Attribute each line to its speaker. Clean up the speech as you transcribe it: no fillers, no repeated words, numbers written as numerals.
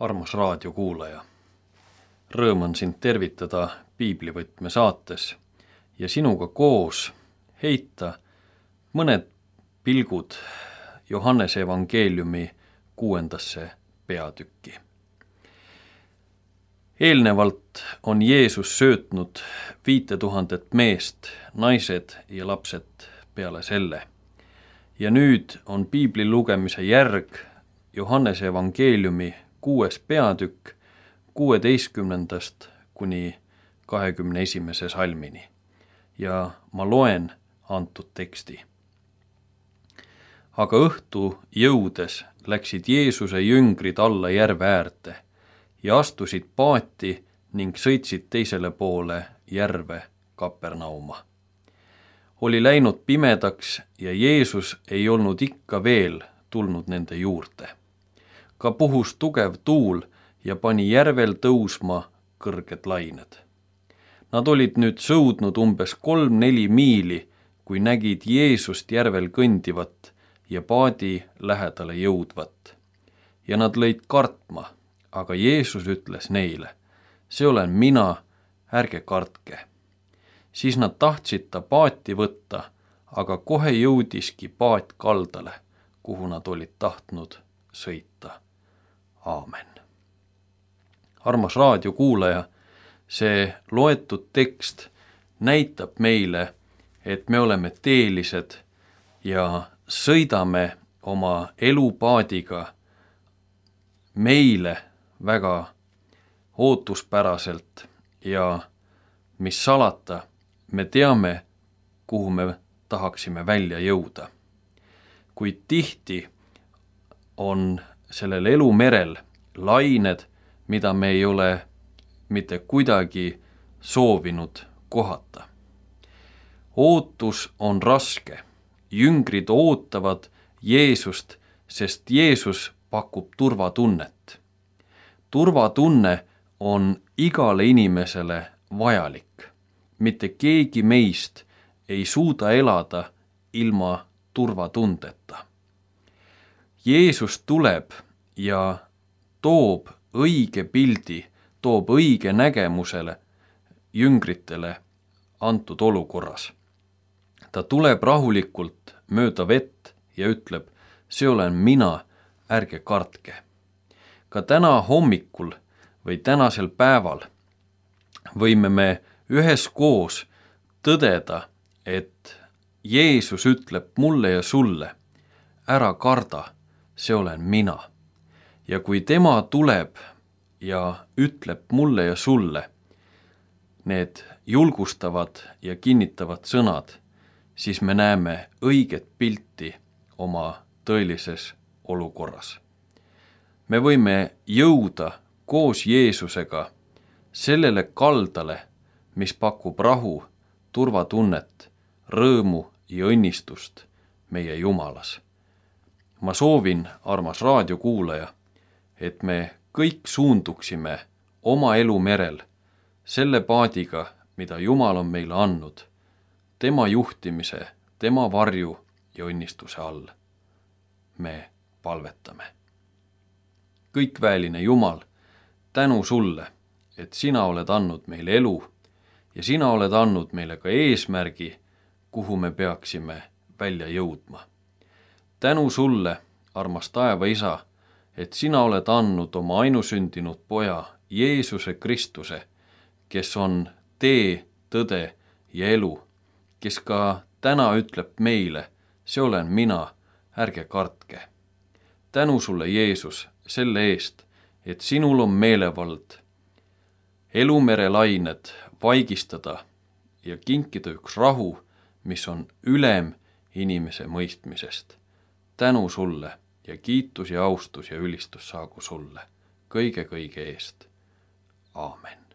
Speaker 1: Armas raadiokuulaja, rõõm on sind tervitada Piiblivõtme saates ja sinuga koos heita mõned pilgud Johannese evangeeliumi 6. peatükki. Eelnevalt on Jeesus söötnud 5000 meest, naised ja lapsed peale selle. Ja nüüd on piibli lugemise järg Johannese evangeeliumi 6. peatükk 16. kuni 21. salmini. Ja ma loen antud teksti. Aga õhtu jõudes läksid Jeesuse jüngrid alla järve äärde ja astusid paati ning sõitsid teisele poole järve Kapernauma. Oli läinud pimedaks ja Jeesus ei olnud ikka veel tulnud nende juurde. Ka puhus tugev tuul ja pani järvel tõusma kõrged lained. Nad olid nüüd sõudnud umbes 3-4 miili, kui nägid Jeesust järvel kõndivat ja paadi lähedale jõudvat. Ja nad lõid kartma, aga Jeesus ütles neile, see olen mina, ärge kartke. Siis nad tahtsid ta paati võtta, aga kohe jõudiski paat kaldale, kuhu nad olid tahtnud sõita. Aamen. Armas raadiokuulaja, see loetud tekst näitab meile, et me oleme teelised ja sõidame oma elupaadiga meile väga ootuspäraselt ja mis salata, me teame, kuhu me tahaksime välja jõuda. Kuid tihti on sellel elumerel lained, mida me ei ole mitte kuidagi soovinud kohata. Ootus on raske. Jüngrid ootavad Jeesust, sest Jeesus pakub turvatunnet. Turvatunne on igale inimesele vajalik. Mitte keegi meist ei suuda elada ilma turvatundeta. Jeesus tuleb ja toob õige pildi, toob õige nägemusele jüngritele antud olukorras. Ta tuleb rahulikult mööda vett ja ütleb, see olen mina, ärge kartke. Ka täna hommikul või tänasel päeval võime me üheskoos tõdeda, et Jeesus ütleb mulle ja sulle, ära karda, see olen mina. Ja kui tema tuleb ja ütleb mulle ja sulle need julgustavad ja kinnitavad sõnad, siis me näeme õiget pilti oma tõelises olukorras. Me võime jõuda koos Jeesusega sellele kaldale, mis pakub rahu, turvatunnet, rõõmu ja õnnistust meie Jumalas. Ma soovin, armas raadiokuulaja, et me kõik suunduksime oma elumerel selle paadiga, mida Jumal on meile andnud, tema juhtimise, tema varju ja õnnistuse all. Me palvetame. Kõikväeline Jumal, tänu sulle, et sina oled andnud meile elu ja sina oled andnud meile ka eesmärgi, kuhu me peaksime välja jõudma. Tänu sulle, armas taeva isa, et sina oled andnud oma ainusündinud poja Jeesuse Kristuse, kes on tee, tõde ja elu, kes ka täna ütleb meile, see olen mina, ärge kartke. Tänu sulle, Jeesus, selle eest, et sinul on meelevald elumere lained vaigistada ja kinkida üks rahu, mis on ülem inimese mõistmisest. Tänu sulle ja kiitus ja austus ja ülistus saagu sulle kõige eest. Aamen.